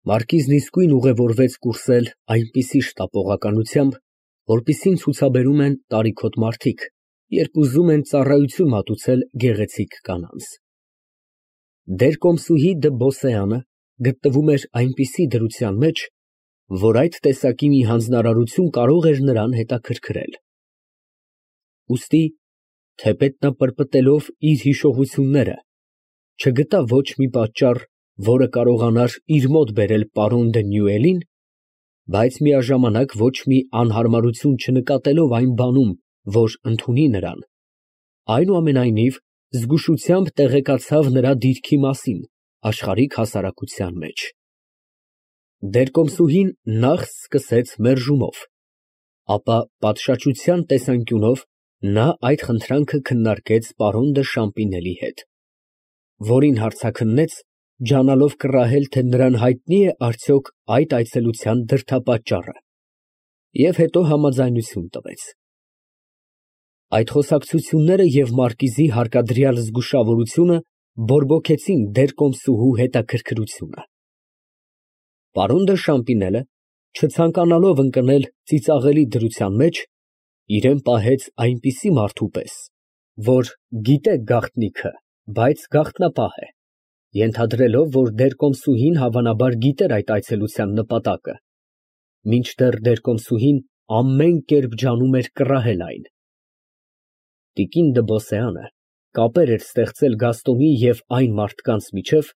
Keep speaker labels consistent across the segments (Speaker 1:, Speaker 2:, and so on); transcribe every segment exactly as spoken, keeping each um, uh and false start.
Speaker 1: Մարկիզն իսկույն ուղևորվեց կուրսել այնպիսի շտապողականությամբ, որպիսին ցուցաբերում են տարիքոտ մարդիկ, երբ ուզում են ծառայություն մատուցել գեղեցիկ կանանց։ Դերկոմսուհի Դը Բոսեանը գտնվում էր այնպիսի դրության մեջ, որ այդ տեսակի մի հանձնարարություն կարող էր նրան հետաքրքրել։ Ուստի, թեպետ նա պրպտելով իր հիշողությունները, չգտավ ոչ մի պատճառ, որը կարողանար իր մոտ բերել պարոն Դը Նյուելին, բայց միաժամանակ ոչ մի անհարմարություն չնկատելով այն բանում, որ ընդունի նրան, այնուամենայնիվ զգուշությամբ տեղեկացավ նրա դիրքի մասին աշխարհիկ հասարակության մեջ։ Դերկոմսուհին նախ սկսեց մերժումով, ապա պատշաճության տեսանկյունով նա այդ խնդրանքը քննարկեց պարոն Դը Շամպինելի հետ, որին հարցաքննեց, ջանալով կռահել, թե նրան հայտնի է արդյոք այդ այցելության դրդապատճառը, և հետո համաձայնություն տվեց։ Այդ խոսակցությունները և մարկիզի հարկադրյալ զգուշավորությունը բորբոքեցին դերկոմսուհու հետաքրքրությունը։ Պարոն Դը Շամպինելը, չցանկանալով ընկնել ծիծաղելի դրության մեջ, իրան պահեց այնպիսի մարդու պես, որ գիտե գաղտնիքը, բայց գաղտնապահ է, ենթադրելով, որ դերկոմսուհին հավանաբար գիտեր այդ այցելության նպատակը, մինչդեռ դերկոմսուհին ամեն կերպ ջանում էր կռահել այն։ Տիկին Դը Բոսեանը կապեր էր ստեղծել Գաստոնի և այն մարդկանց միջև,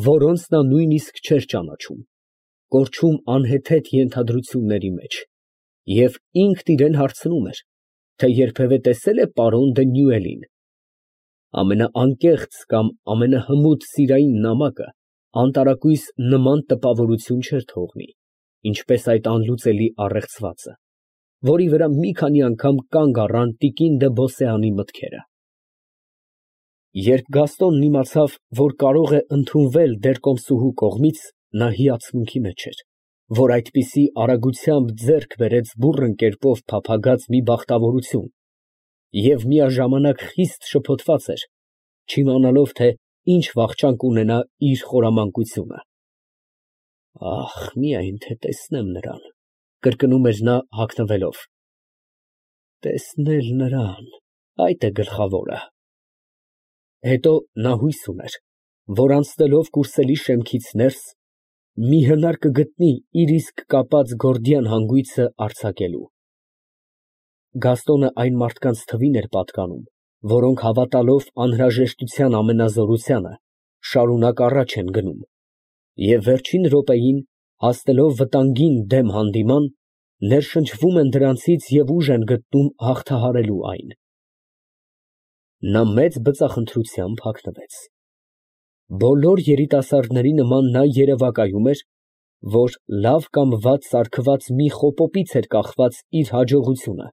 Speaker 1: որոնց նա նույնիսկ չէր ճանաչում, կորչում անհեթեթ ենթադրությունների մեջ, և ինքն իրան հարցնում էր, թե երբևէ տեսե՞լ է պարոն Դը Նյուելին։ Ամենաանկեղծ կամ ամենահմուտ սիրային նամակը անտարակույս նման տպավորություն չէր թողնի, ինչպես այդ անլուծելի առեղծվածը, որի վրա մի քանի անգամ կանգ առան տիկին Դը Բոսեանի մտքերը։ Երբ Գաստոնն իմացավ, որ կարող է ընդունվել դերկոմսուհու կողմից, նա հիացմունքի մեջ էր, որ այդպիսի արագությամբ ձեռք բերեց բուռն կերպով փափագած մի բախտավորություն, և միաժամանակ խիստ շփոթված էր, չիմանալով, թե ինչ վախճան կունենա իր խորամանկությունը։ «Ախ, միայն թե տեսնեմ նրան», կրկնում էր նա հագնվելով, «տեսնել նրան, այդ է գլխավորը»։ Հետո նա հույս ուներ, որ անցնելով կուրսելի շեմքից ներս, մի հնար կգտնի իր իսկ կապած գորդիան հանգույցը արձակելու։ Գաստոնը այն մարդկանց թվին էր պատկանում, որոնք հավատալով անհրաժեշտության ամենազորությանը, շարունակ առաջ են գնում, և վերջին րոպեին, հասնելով վտանգին դեմ հանդիման, ներշնչվում են դրանցից և ուժ են գտնում հաղթահարելու այն։ Նա մեծ բծախնդրությամբ հագնվեց։ Բոլոր երիտասարդների նման նա երևակայում էր, որ լավ կամ վատ սարքված մի խոպոպից էր կախված իր հաջողությունը,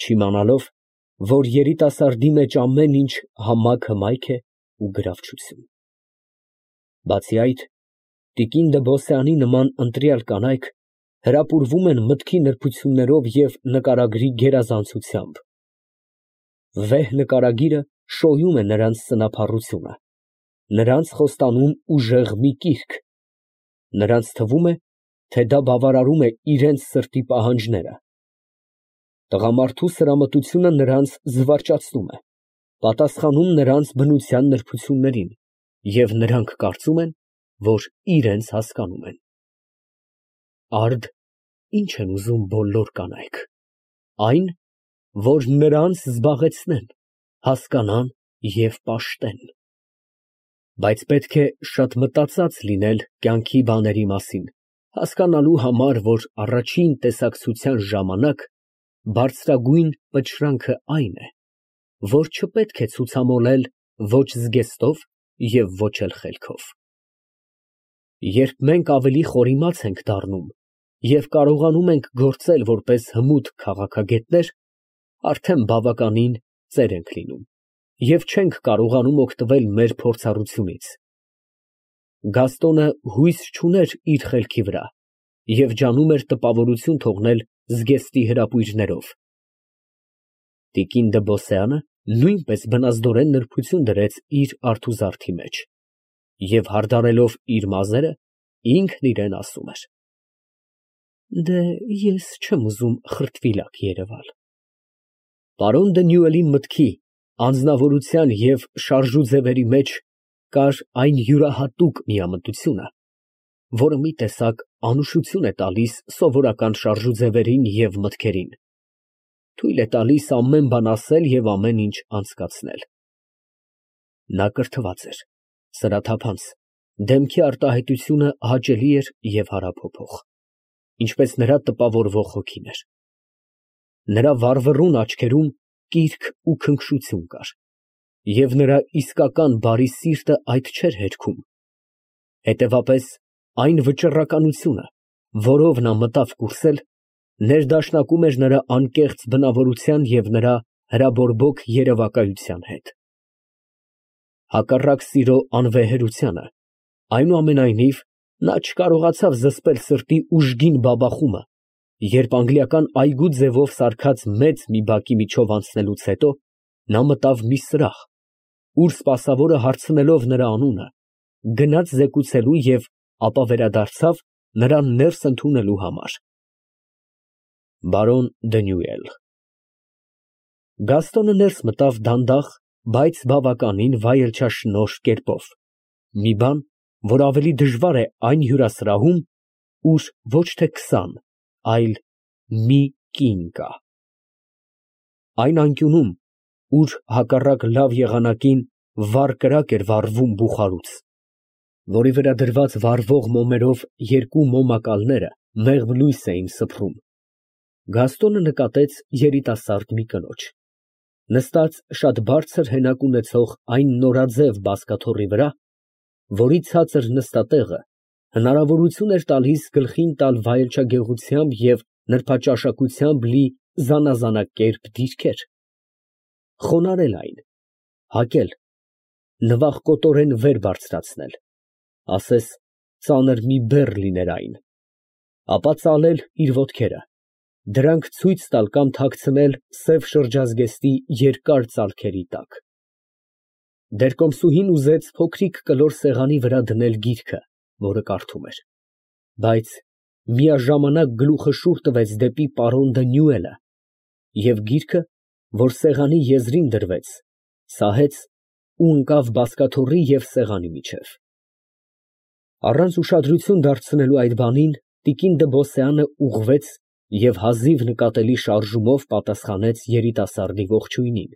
Speaker 1: չիմանալով, որ երիտասարդի մեջ ամեն ինչ համակ հմայք է ու գրավչություն։ Բացի այդ, տիկին Դը Բոսեանի նման ընտրյալ կանայք հրապուրվում են մտքի նրբություններով և նկարագրի գերազանցությամբ։ Վեհ նկարագիրը շոյում է նրանց սնափառությունը, նրանց խոստանում ուժեղ մի կիրք, նրանց թվում է, թե դա բավարարում է իրենց սրտի պահանջները։ Տղամարդու սրամտությունը նրանց զվարճացնում է, պատասխանում նրանց բնության նրբություններին, և նրանք կարծում են, որ իրենց հասկանում են։ Արդ ի՞նչ են ուզում բոլոր կանայք։ Այն, որ նրանց զբաղեցնեն, հասկանան և պաշտեն։ Բայց պետք է շատ մտածած լինել կյանքի բաների մասին, հասկանալու համար, որ առաջին տեսակցության ժամանակ բարձրագույն պտշրանքը այն է, որ չպետք է ցուցամոլել ոչ զգեստով և ոչ էլ խելքով։ Երբ մենք ավելի խորիմաց ենք դառնում և կարողանում ենք գործել որպես հմուտ քաղաքագետներ, արդեն բավականին ծեր ենք լինում և չենք կարողանում օգտվել մեր փորձառությունից։ Գաստոնը հույս չուներ իր խելքի վրա և ջանում էր տպավորություն թողնել զգեստի հրապույրներով։ Տիկին Դը Բոսեանը նույնպես բնազդորեն նրբություն դրեց իր արթուզարդի մեջ և, հարդարելով իր մազերը, ինքն իրան ասում էր. «Դե ես չեմ ուզում խրտվիլակ երևալ»։ Պարոն Դանիելի մտքի, անձնավորության և շարժուձևերի մեջ կար այն յուրահատուկ միամտությունը, որը մի տեսակ անուշություն է տալիս սովորական շարժուձևերին և մտքերին, թույլ է տալիս ամեն բան ասել և ամեն ինչ անցկացնել։ Նա կրթված էր, սրաթափանց, դեմքի արտահայտությունը հաճելի էր և հարափոփող, ինչպես նրա տպավորվող հոգին էր։ Նրա վառվռուն աչքերում կիրք ու քնքշություն կար, և նրա իսկական բարի սիրտը այդ չէր հերքում, հետևապես, այն վճռականությունը, որով նա մտավ կուրսել, ներդաշնակում էր նրա անկեղծ բնավորության և նրա հրաբորբոք երևակայության հետ։ Հակառակ սիրո անվեհերությանը, այնուամենայնիվ, նա չկարողացավ զսպել սրտի ուժգին բաբախումը, երբ անգլիական այգու ձևով սարքած մեծ մի բակի միջով անցնելուց հետո, նա մտավ մի սրահ, ուր սպասավորը հարցնելով նրա անունը, գնաց զեկուցելու և ապա վերադարձավ նրան ներս ընդունելու համար։ Բարոն Դանիել։ Գաստոնը ներս մտավ դանդաղ, բայց բավականին վայելչաշնորհ կերպով, մի բան, որ ավելի դժվար է այն հյուրասրահում, ուր ոչ թե քսան, այլ մի կին կա։ Այն անկյունում, ուր հակառակ լավ եղանակին վառ կրակ էր վառվում բուխարուց, որի վրա դրված վառվող մոմերով երկու մոմակալները մեղմ լույս էին սփռում, Գաստոնը նկատեց երիտասարդ մի կնոջ, նստած շատ բարձր հենակ ունեցող այն նորաձև բազկաթոռի վրա, որի ցածր նստատեղը հնարավորություն էր տալիս գլխին տալ վայելչագեղությամբ և նրբաճաշակությամբ լի զանազանակերպ դիրքեր, խոնարհել այն, հագել, նվախկոտորեն վեր բարձրացնել, ասես ծանր մի բեռ լիներ այն, ապա ծալել իր ոտքերը, դրանք ցույց տալ կամ թաքցնել սև շրջազգեստի երկար ծալքերի տակ։ Դերկոմսուհին ուզեց փոքրիկ կլոր սեղանի վրա դնել գիրքը, որը կարդում էր, բայց միաժամանակ գլուխը շուռ տվեց դեպի պարոն Դանիելը և գիրքը, որ սեղանի եզրին դրվեց, սահեց ու ընկավ բազկաթոռի և սեղանի միջև։ Առանց ուշադրություն դարձնելու այդ բանին, տիկին Դըբոսյանը ուղղվեց և հազիվ նկատելի շարժումով պատասխանեց երիտասարդի ողջույնին,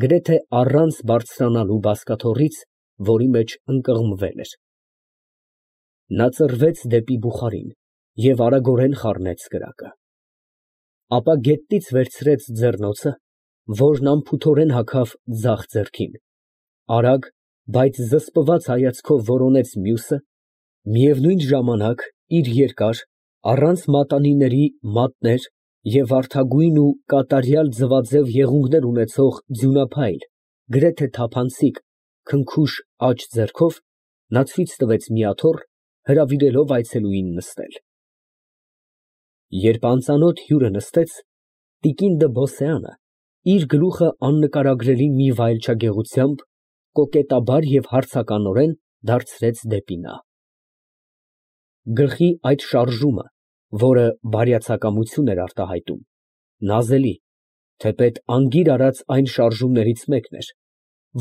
Speaker 1: գրեթե առանց բարձրանալու բազկաթոռից, որի մեջ ընկղմվել էր։ Նա ծռվեց դեպի բուխարին և արագորեն խառնեց կրակը, ապա գետնից վերցրեց ձեռնոցը, որն անփութորեն հագավ ձախ ձեռքին, արագ, բայց զսպված հայացքով որոնեց մյուսը, միևնույն ժամանակ իր երկար, առանց մատանիների մատներ և վարդագույն ու կատարյալ ձվաձև եղունգներ ունեցող ձյունափայլ, գրեթե թափանցիկ, քնքուշ աջ ձեռքով նա ցույց տվեց մի աթոռ, հրավիրելով այցելուին նստել։ Երբ անծանոթ հյուրը նստեց, տիկին Դըբոսյանը իր գլուխը աննկարագրելի մի վայելչագեղությամբ, կոկետաբար և հարցականորեն դարձրեց դեպի նա։ Գլխի այդ շարժումը, որը բարյացակամություն էր արտահայտում, նազելի, թեպետ անգիր արած այն շարժումներից մեկն էր,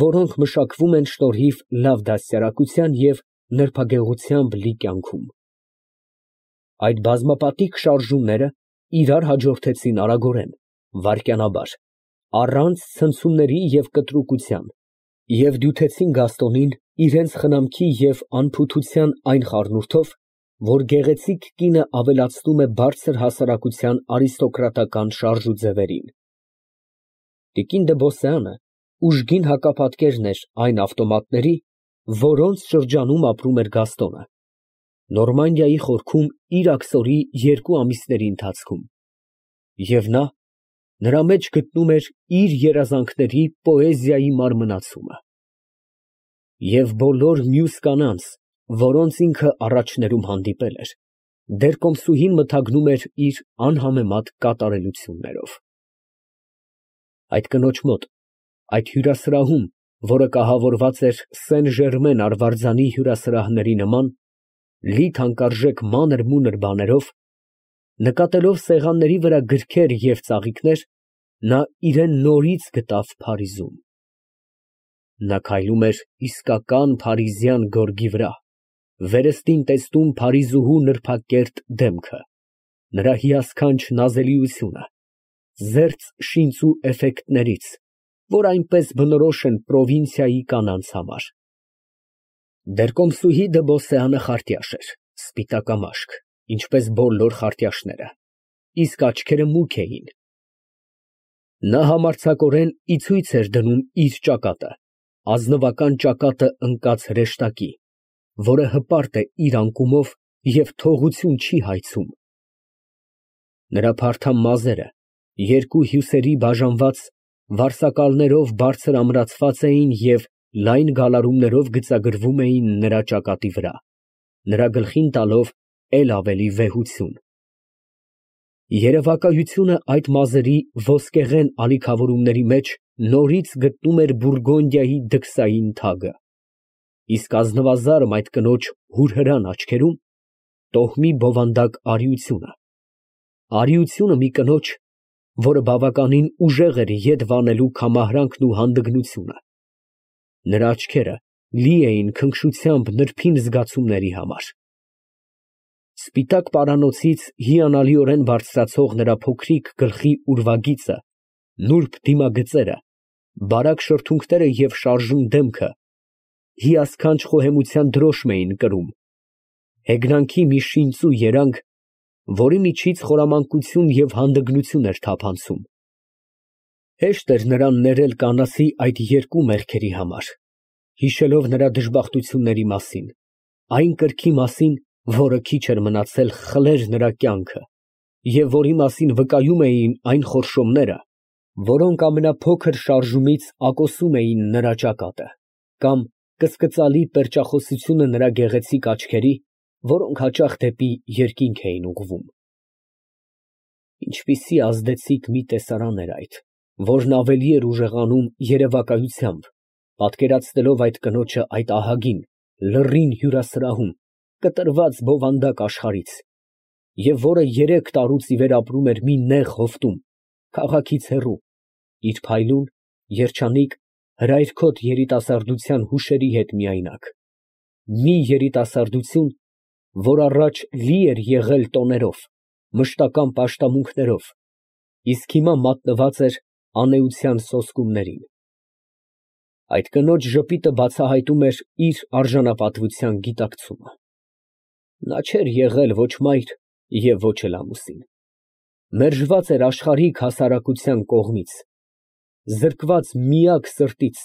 Speaker 1: որոնք մշակվում են շնորհիվ լավ դաստիարակության և նրբագեղությամբ լի կյանքում։ Այդ բազմապատիկ շարժումները իրար հաջորդեցին արագորեն, վայրկյանաբար, առանց ցնցումների և կտրուկության և դյութեցին Գաստոնին իրենց խնամքի և անփութության այն խառնուրդով, որ գեղեցիկ կինը ավելացնում է բարձր հասարակության արիստոկրատական շարժուձևերին։ Տիկին Դըբոսյանը ուժգին հակապատկերն էր այն ավտոմատների, որոնց շրջանում ապրում էր Գաստոնը, Նորմանդիայի խորքում իր աքսորի երկու ամիսների ընթացքում, և նա նրա մեջ գտնում էր իր երազանքների պոեզիայի մարմնացումը։ Եվ բոլոր մյուս կանանց, որոնց ինքը առաջներում հանդիպել էր, դերկոմսուհին մթագնում էր իր անհամեմատ կատարելություններով։ Այդ կնոջ մոտ, այդ հյուրասրահում, որը կահավորված էր Սեն Ժերմեն արվարձանի հյուրասրահների նման, Լի թանկարժեք մանր֊մունր բաներով, նկատելով սեղանների վրա գրքեր և ծաղիկներ, նա իրան նորից գտավ Փարիզում։ Նա քայլում էր իսկական փարիզյան գորգի վրա, վերստին տեսնում փարիզուհու նրբակերտ դեմքը, նրա հիասքանչ նազելիությունը, զերծ շինծու էֆեկտներից, որ այնպես բնորոշ են պրովինցիայի կանանց համար։ Բերկոմսուհի դը Բոսեանը խարտյաշ էր, սպիտակամաշկ, ինչպես բոլոր խարտյաշները, իսկ աչքերը մուգ էին։ Նա համարձակորեն ի ցույց էր դնում իր ճակատը, ազնվական ճակատը ընկած հրեշտակի, որը հպարտ է իր անկումով և թողություն չի հայցում։ Նրա փարթամ մազերը, երկու հյուսերի բաժանված, վարսակալներով բարձր ամրացված էին և լայն գալարումներով գծագրվում էին նրա ճակատի վրա, նրա գլխին տալով էլ ավելի վեհություն։ Երևակայությունը այդ մազերի ոսկեղեն ալիքավորումների մեջ նորից գտնում էր Բուրգոնդիայի դքսային թագը, իսկ ազնվազարդ այդ կնոջ հուրհրան աչքերում տոհմի բովանդակ արիությունը, արիությունը մի կնոջ, որը բավականին ուժեղ էր ետ վանելու քամահրանքն ու հանդգնությունը։ Նրա աչքերը լի էին քնքշությամբ նրբին զգացումների համար։ Սպիտակ պարանոցից հիանալիորեն բարձրացող նրա փոքրիկ գլխի ուրվագիծը, նուրբ դիմագծերը, բարակ շրթունքները և շարժուն դեմքը հիասքանչ խոհեմության դրոշմ էին կրում, հեգնանքի մի շինծու երանգ, որի միջից խորամանկություն և հանդգնություն էր թափանցում։ Հեշտ էր նրան ներել կանացի այդ երկու մեղքերի համար, հիշելով նրա դժբախտությունների մասին, այն կրքի մասին, որը քիչ էր մնացել խլեր նրա կյանքը, և որի մասին վկայում էին այն խորշոմները, որոնք ամենափոքր շարժումից ակոսում էին նրա ճակատը, կամ կսկծալի պերճախոսությունը նրա գեղեցիկ աչքերի, որոնք հաճախ դեպի երկինք էին ուղղվում։ Ինչպիսի ազդեցիկ մի տեսարան էր այդ, որն ավելի էր ուժեղանում երևակայությամբ, պատկերացնելով այդ կնոջը այդ ահագին, լռին հյուրասրահում, կտրված բովանդակ աշխարհից, և որը երեք տարուց ի վեր ապրում էր մի նեղ հովտում, քաղաքից հեռու, իր փայլուն, երջանիկ, հրայրքոտ երիտասարդության հուշերի հետ միայնակ, մի երիտասարդություն, որ առաջ լի էր եղել տոներով, մշտական պաշտամունքներով, իսկ հիմա մատնված էր անէության սոսկումներին։ Այդ կնոջ ժպիտը բացահայտում էր իր արժանապատվության գիտակցումը։ Նա չէր եղել ոչ մայր և ոչ էլ ամուսին, մերժված էր աշխարհիկ հասարակության կողմից, զրկված միակ սրտից,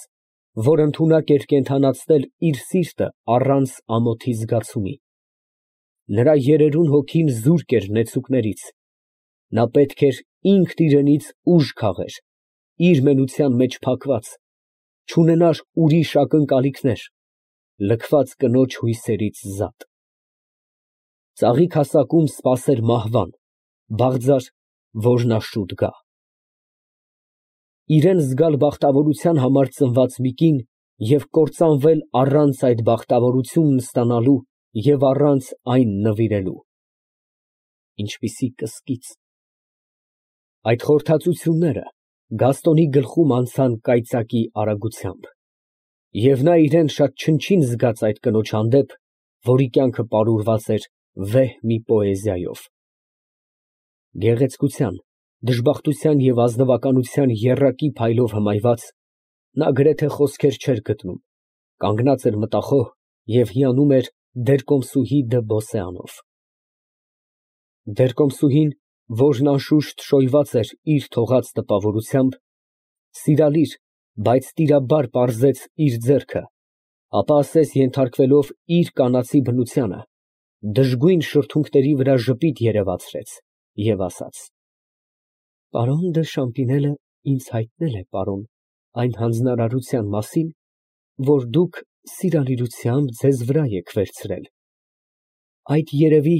Speaker 1: որ ընդունակ էր կենդանացնել իր սիրտը առանց ամոթի զգացումի։ Նրա երերուն հոգին զուրկ էր նեցուկներից, նա պետք էր ինքն իրենից ուժ քաղեր, իր մենության մեջ փակված, չունենար ուրիշ ակնկալիքներ, լքված կնոջ հույսերից զատ։ Ծաղիկ հասակում սպասեր մահվան, բաղձար, որ նա շուտ գա։ Իրան զգալ բախտավորության համար ծնված մի կին և կործանվել առանց այդ բախտավորությունն ստանալու և առանց այն նվիրելու։ Ինչպիսի կսկիծ։ Այդ խորհրդածությունները Գաստոնի գլխում անցան կայծակի արագությամբ, և նա իրան շատ չնչին զգաց այդ կնոջ հանդեպ, որի կյանքը պարուրված էր վեհ մի պոեզիայով։ Գեղեցկության, դժբախտության և ազնվականության եռակի փայլով հմայված, նա գրեթե խոսքեր չէր գտնում, կանգնած էր մտախոհ և հիանում էր Բերկոմսուհի դը Բոսեանով։ Բերկոմսուհին, որն անշուշտ շոյված էր իր թողած տպավորությամբ, սիրալիր, բայց տիրաբար պարզեց իր ձեռքը, ապա ասես ենթարկվելով իր կանացի բնությանը, դժգույն շրթունքների վրա ժպիտ երևացրեց և ասաց. «Պարոն դը Շամպինելը ինձ հայտնել է, պարոն, այն հանձնարարության մասին, որ դուք սիրալիրությամբ ձեզ վրա եք վերցրել, այդ երևի…»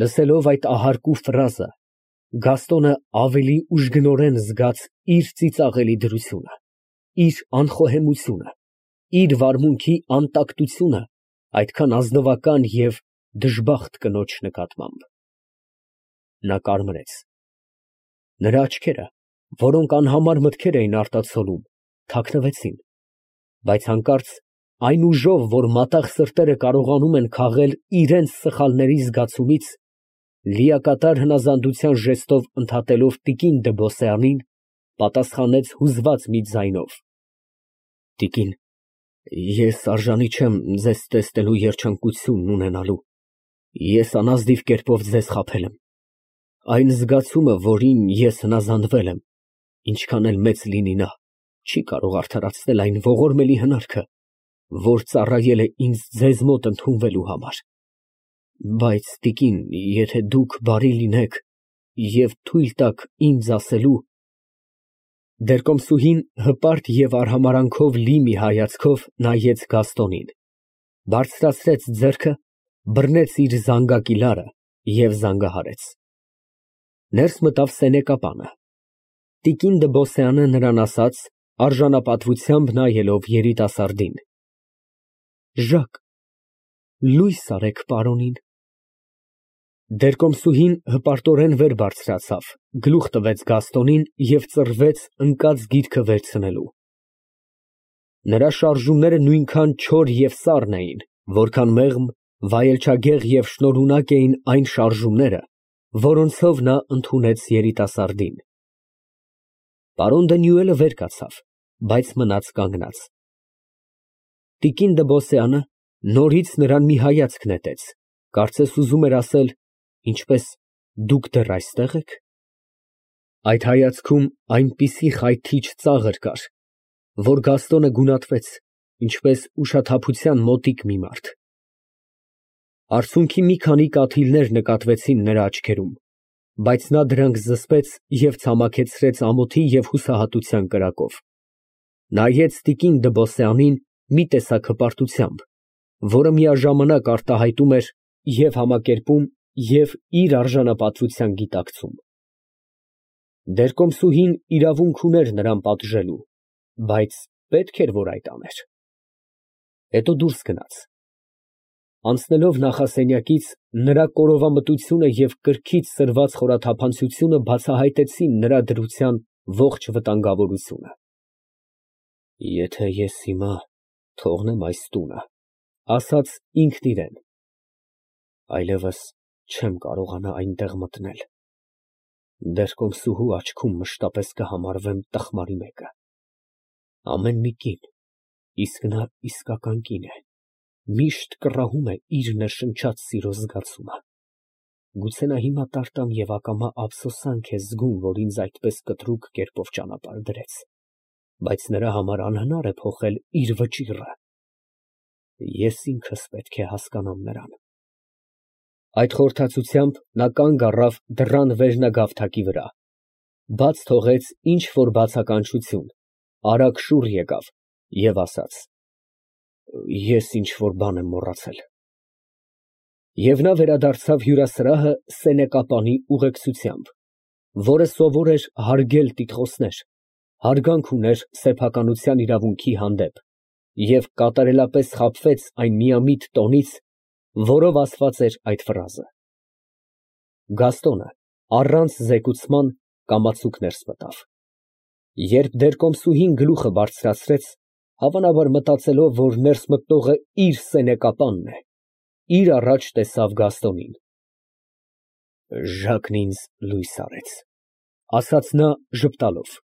Speaker 1: Լսելով այդ ահարկու ֆրազը, Գաստոնը ավելի ուժգնորեն զգաց իր ծիծաղելի դրությունը, իր անխոհեմությունը, իր վարմունքի անտակտությունը այդքան ազնվական և դժբախտ կնոջ նկատմամբ։ Նա կարմրեց։ Նրա աչքերը, որոնք անհամար մտքեր էին արտացոլում, թաքնվեցին, բայց հանկարծ այն ուժով, որ մատաղ սրտերը կարողանում են քաղել իրենց սխալների զգացումից, լիակատար հնազանդության ժեստով ընդհատելով տիկին Դըբոսյանին, պատասխանեց հուզված մի ձայնով. Տիկին, ես արժանի չեմ ձեզ տեսնելու երջանկությունն ունենալու, ես անազնիվ կերպով ձեզ խաբել եմ, այն զգացումը, որին ես հնազանդվել եմ, ինչքան էլ մեծ լինի նա, չի կարող արդարացնել այն ողորմելի հնարքը, որ ծառայել է ինձ ձեզ մոտ ընդունվելու համար, բայց տիկին, եթե դուք բարի լինեք և թույլ տաք ինձ ասելու… Դերկոմսուհին հպարտ և արհամարհանքով լի մի հայացքով նայեց Գաստոնին, բարձրացրեց ձեռքը, բռնեց իր զանգակի լարը և զանգահարեց։ Ներս մտավ սենեկապանը։ Տիկին Դըբոսյանը նրան ասաց, արժանապատվությամբ նայելով երիտասարդին. Ժակ, լույս արեք պարոնին։ Դերկոմսուհին հպարտորեն վեր բարձրացավ, գլուխ տվեց Գաստոնին և ծռվեց ընկած գիրքը վերցնելու։ Նրա շարժումները նույնքան չոր և սառն էին, որքան մեղմ, վայելչագեղ և շնորհունակ էին այն շարժումները, որոնցով նա ընդունեց երիտասարդին։ Պարոն Դանիելը վեր կացավ, բայց մնաց կանգնած։ Տիկին Դըբոսյանը նորից նրան մի հայացք նետեց, կարծես ուզում էր ասել. Ինչպե՞ս, դուք դեռ այստե՞ղ եք։ Այդ հայացքում այնպիսի խայթիչ ծաղր կար, որ Գաստոնը գունատվեց, ինչպես ուշաթափության մոտիկ մի մարդ։ Արցունքի մի քանի կաթիլներ նկատվեցին նրա աչքերում, բայց նա դրանք զսպեց և ցամաքեցրեց ամոթի և հուսահատության կրակով։ Նայեց տիկին Դըբոսյանին մի տեսակ հպարտությամբ, որը միաժամանակ արտահայտում էր և համակերպում և իր արժանապատվության գիտակցում։ Դերկոմսուհին իրավունք ուներ նրան պատժելու, բայց պետք էր, որ այդ աներ։ Հետո դուրս գնաց։ Անցնելով նախասենյակից, նրա կորովամտությունը և կրքից սրված խորաթափանցությունը բացահայտեցին նրա դրության ողջ վտանգավորությունը։ Եթե ես հիմա թողնեմ այս տունը, ասաց ինքն իրան, այլևս չեմ կարողանա այնտեղ մտնել, դերկոմսուհու աչքում մշտապես կհամարվեմ տխմարի մեկը։ Ամեն մի կին, իսկ նա իսկական կին է, միշտ կռահում է իր ներշնչած սիրո զգացումը։ Գուցե նա հիմա տարտամ և ակամա ափսոսանք է զգում, որ ինձ այդպես կտրուկ կերպով ճանապարհ դրեց, բայց նրա համար անհնար է փոխել իր վճիռը։ Ես ինքս պետք է հասկանամ նրան։ Այդ խորհրդածությամբ նա կանգ առավ դռան վերնագավթակի վրա, բաց թողեց ինչ֊որ բացականչություն, արագ շուռ եկավ և ասաց. Ես ինչ֊որ բան եմ մոռացել։ Եվ նա վերադարձավ հյուրասրահը սենեկապանի ուղեկցությամբ, որը սովոր էր հարգել տիտղոսներ, հարգանք ուներ սեփականության իրավունքի հանդեպ և կատարելապես խաբվեց այն միամիտ տոնից, որով ասված էր այդ ֆրազը։ Գաստոնը, առանց զեկուցման, կամացուկ ներս մտավ։ Երբ դերկոմսուհին գլուխը բարձրացրեց, հավանաբար մտածելով, որ ներս մտնողը իր սենեկապանն է, իր առաջ տեսավ Գաստոնին։ Ժակն ինձ լույս արեց, ասաց նա ժպտալով։